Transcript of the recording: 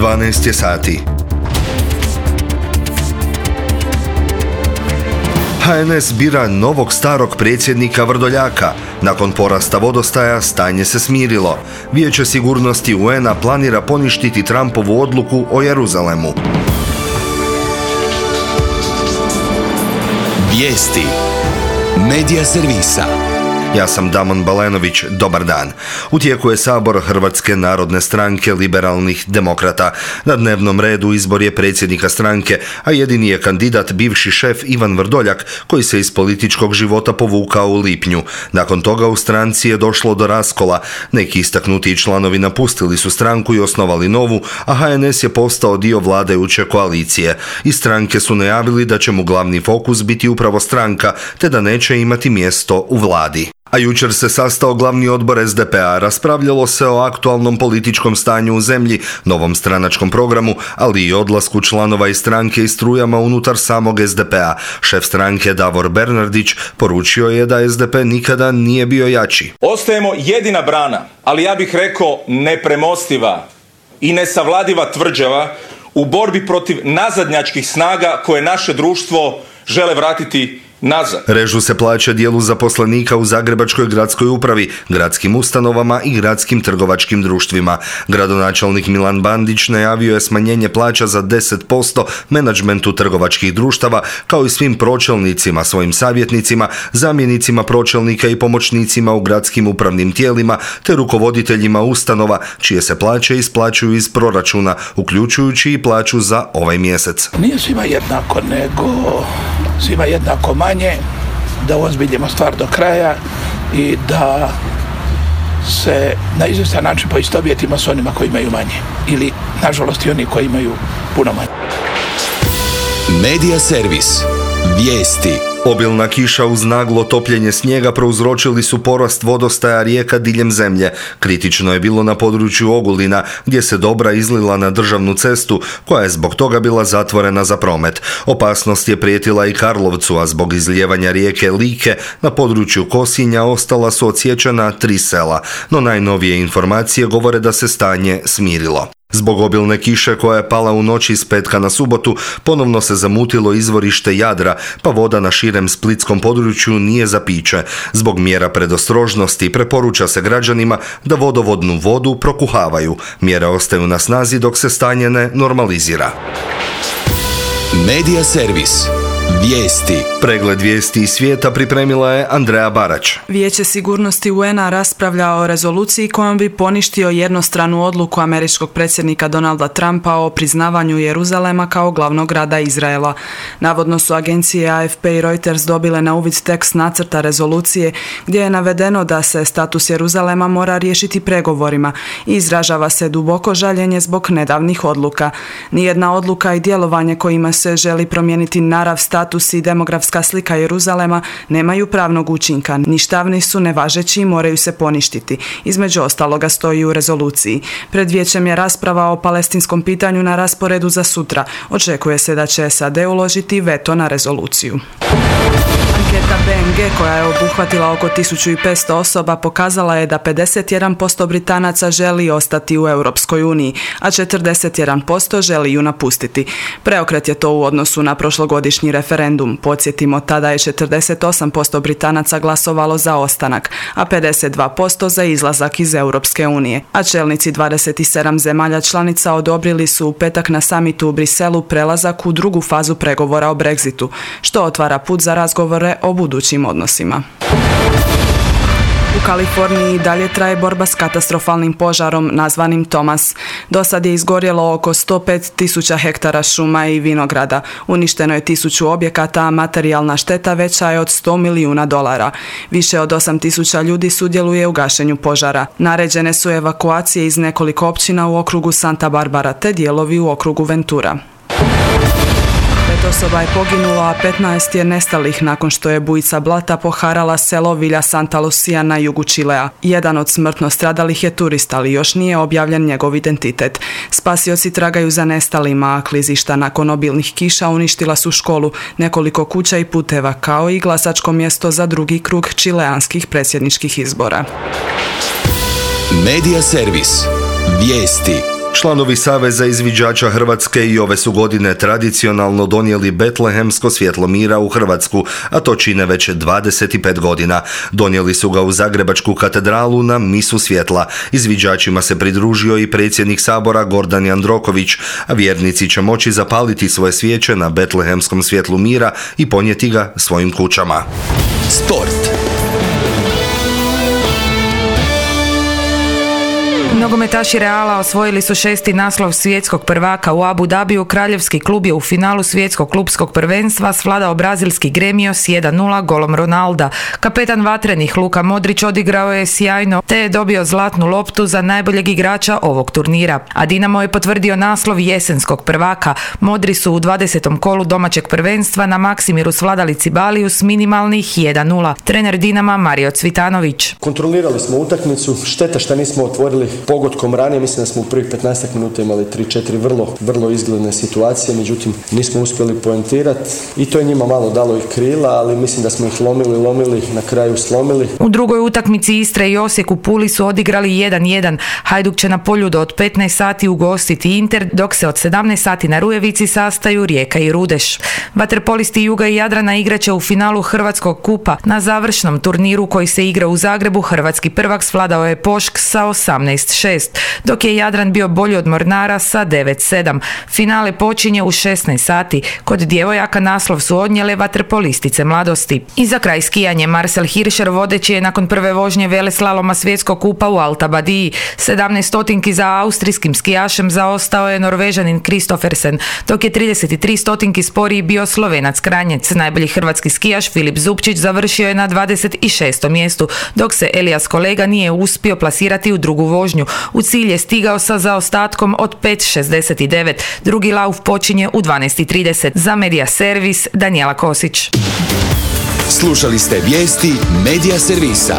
12 je sati. HNS bira novog starog predsjednika Vrdoljaka. Nakon porasta vodostaja stanje se smirilo. Vijeće sigurnosti UN-a planira poništiti Trumpovu odluku o Jeruzalemu. Vijesti Medija servisa. Ja sam Damon Balenović, dobar dan. U tijeku je sabor Hrvatske narodne stranke liberalnih demokrata. Na dnevnom redu izbor je predsjednika stranke, a jedini je kandidat bivši šef Ivan Vrdoljak, koji se iz političkog života povukao u lipnju. Nakon toga u stranci je došlo do raskola. Neki istaknuti članovi napustili su stranku i osnovali novu, a HNS je postao dio vladajuće koalicije. Iz stranke su najavili da će mu glavni fokus biti upravo stranka, te da neće imati mjesto u vladi. A jučer se sastao glavni odbor SDP-a, raspravljalo se o aktualnom političkom stanju u zemlji, novom stranačkom programu, ali i odlasku članova iz stranke i strujama unutar samog SDP-a. Šef stranke Davor Bernardić poručio je da SDP nikada nije bio jači. Ostajemo jedina brana, ali ja bih rekao nepremostiva i nesavladiva tvrđava u borbi protiv nazadnjačkih snaga koje naše društvo žele vratiti nazad. Režu se plaće dijelu zaposlenika u Zagrebačkoj gradskoj upravi, gradskim ustanovama i gradskim trgovačkim društvima. Gradonačelnik Milan Bandić najavio je smanjenje plaća za 10% menadžmentu trgovačkih društava, kao i svim pročelnicima, svojim savjetnicima, zamjenicima pročelnika i pomoćnicima u gradskim upravnim tijelima, te rukovoditeljima ustanova, čije se plaće isplaćuju iz proračuna, uključujući i plaću za ovaj mjesec. Nije svima jednako, nego svima jednako manje, da ozbiljimo stvar do kraja i da se na izvjestan način poistovjetimo s onima koji imaju manje. Ili, nažalost, i oni koji imaju puno manje. Medija servis. Vijesti. Obilna kiša uz naglo topljenje snijega prouzročili su porast vodostaja rijeka diljem zemlje. Kritično je bilo na području Ogulina, gdje se Dobra izlila na državnu cestu, koja je zbog toga bila zatvorena za promet. Opasnost je prijetila i Karlovcu, a zbog izlijevanja rijeke Like na području Kosinja ostala su odsječena 3 sela. No najnovije informacije govore da se stanje smirilo. Zbog obilne kiše koja je pala u noći iz petka na subotu, ponovno se zamutilo izvorište Jadra, pa voda na širem splitskom području nije za piće. Zbog mjera predostrožnosti preporuča se građanima da vodovodnu vodu prokuhavaju. Mjere ostaju na snazi dok se stanje ne normalizira. Medija servis. Vijesti. Pregled vijesti iz svijeta pripremila je Andreja Barać. Vijeće sigurnosti UN-a raspravlja o rezoluciji kojom bi poništio jednostranu odluku američkog predsjednika Donalda Trumpa o priznavanju Jeruzalema kao glavnog grada Izraela. Navodno su agencije AFP i Reuters dobile na uvid tekst nacrta rezolucije gdje je navedeno da se status Jeruzalema mora riješiti pregovorima i izražava se duboko žaljenje zbog nedavnih odluka. Nijedna odluka i djelovanje kojima se želi promijeniti narav, status i demografska slika Jeruzalema nemaju pravnog učinka, ništavni su, nevažeći i moraju se poništiti. Između ostaloga stoji u rezoluciji. Pred vijećem je rasprava o palestinskom pitanju na rasporedu za sutra. Očekuje se da će SAD uložiti veto na rezoluciju. Anketa BNG koja je obuhvatila oko 1500 osoba pokazala je da 51% Britanaca želi ostati u Europskoj uniji, a 41% želi ju napustiti. Preokret je to u odnosu na prošlogodišnji referendum. Podsjetimo, tada je 48% Britanaca glasovalo za ostanak, a 52% za izlazak iz Europske unije. A čelnici 27 zemalja članica odobrili su u petak na samitu u Briselu prelazak u drugu fazu pregovora o Brexitu, što otvara put za razgovore o budućim odnosima. U Kaliforniji dalje traje borba s katastrofalnim požarom nazvanim Thomas. Do sad je izgorjelo oko 105.000 hektara šuma i vinograda. Uništeno je 1000 objekata, a materijalna šteta veća je od $100 milijuna. Više od 8.000 ljudi sudjeluje u gašenju požara. Naređene su evakuacije iz nekoliko općina u okrugu Santa Barbara te dijelovi u okrugu Ventura. 5 osoba je poginulo, a 15 je nestalih nakon što je bujica blata poharala selo Villa Santa Lucia na jugu Čilea. Jedan od smrtno stradalih je turist, ali još nije objavljen njegov identitet. Spasioci tragaju za nestalima, a klizišta nakon obilnih kiša uništila su školu, nekoliko kuća i puteva, kao i glasačko mjesto za drugi krug čileanskih predsjedničkih izbora. Medija servis. Vijesti. Članovi Saveza izviđača Hrvatske i ove su godine tradicionalno donijeli betlehemsko svjetlo mira u Hrvatsku, a to čine već 25 godina. Donijeli su ga u Zagrebačku katedralu na misu svjetla. Izviđačima se pridružio i predsjednik Sabora Gordan Jandroković, a vjernici će moći zapaliti svoje svijeće na betlehemskom svjetlu mira i ponijeti ga svojim kućama. Sport. Nogometaši Reala osvojili su 6. naslov svjetskog prvaka u Abu Dhabiju. Kraljevski klub je u finalu svjetskog klubskog prvenstva svladao brazilski Gremio s 1:0 golom Ronalda. Kapetan vatrenih Luka Modrić odigrao je sjajno te je dobio zlatnu loptu za najboljeg igrača ovog turnira. A Dinamo je potvrdio naslov jesenskog prvaka. Modri su u 20. kolu domaćeg prvenstva na Maksimiru svladali Cibaliju s minimalnih 1:0. Trener Dinama Mario Cvitanović. Kontrolirali smo utakmicu, šteta što nismo otvorili pogodkom ranije, mislim da smo u prvih 15 minuta imali 3-4 vrlo izgledne situacije, međutim nismo uspjeli poentirati i to je njima malo dalo i krila, ali mislim da smo ih lomili, na kraju slomili. U drugoj utakmici Istra i Osijek u Puli su odigrali 1:1. Hajduk će na Poljudu od 15 sati ugostiti Inter, dok se od 17 sati na Rujevici sastaju Rijeka i Rudeš. Vaterpolisti Juga i Jadrana igraće u finalu Hrvatskog kupa. Na završnom turniru koji se igra u Zagrebu hrvatski prvak svladao je Pošk sa 18:6, dok je Jadran bio bolji od Mornara sa 9:7. Finale počinje u 16 sati. Kod djevojaka naslov su odnijele vaterpolistice Mladosti. I za kraj skijanje, Marcel Hirscher vodeći je nakon prve vožnje veleslaloma svjetskog kupa u Alta Badiji. 17 stotinki za austrijskim skijašem zaostao je Norvežanin Kristoffersen, dok je 33 stotinki sporiji bio Slovenac Kranjec. Najbolji hrvatski skijaš Filip Zupčić završio je na 26. mjestu, dok se Elijas Kolega nije uspio plasirati u drugu vožnju. U cilj je stigao sa zaostatkom od 5:69. Drugi lauf počinje u 12:30. Za Medija Servis Danijela Kosić. Slušali ste vijesti Medija Servisa.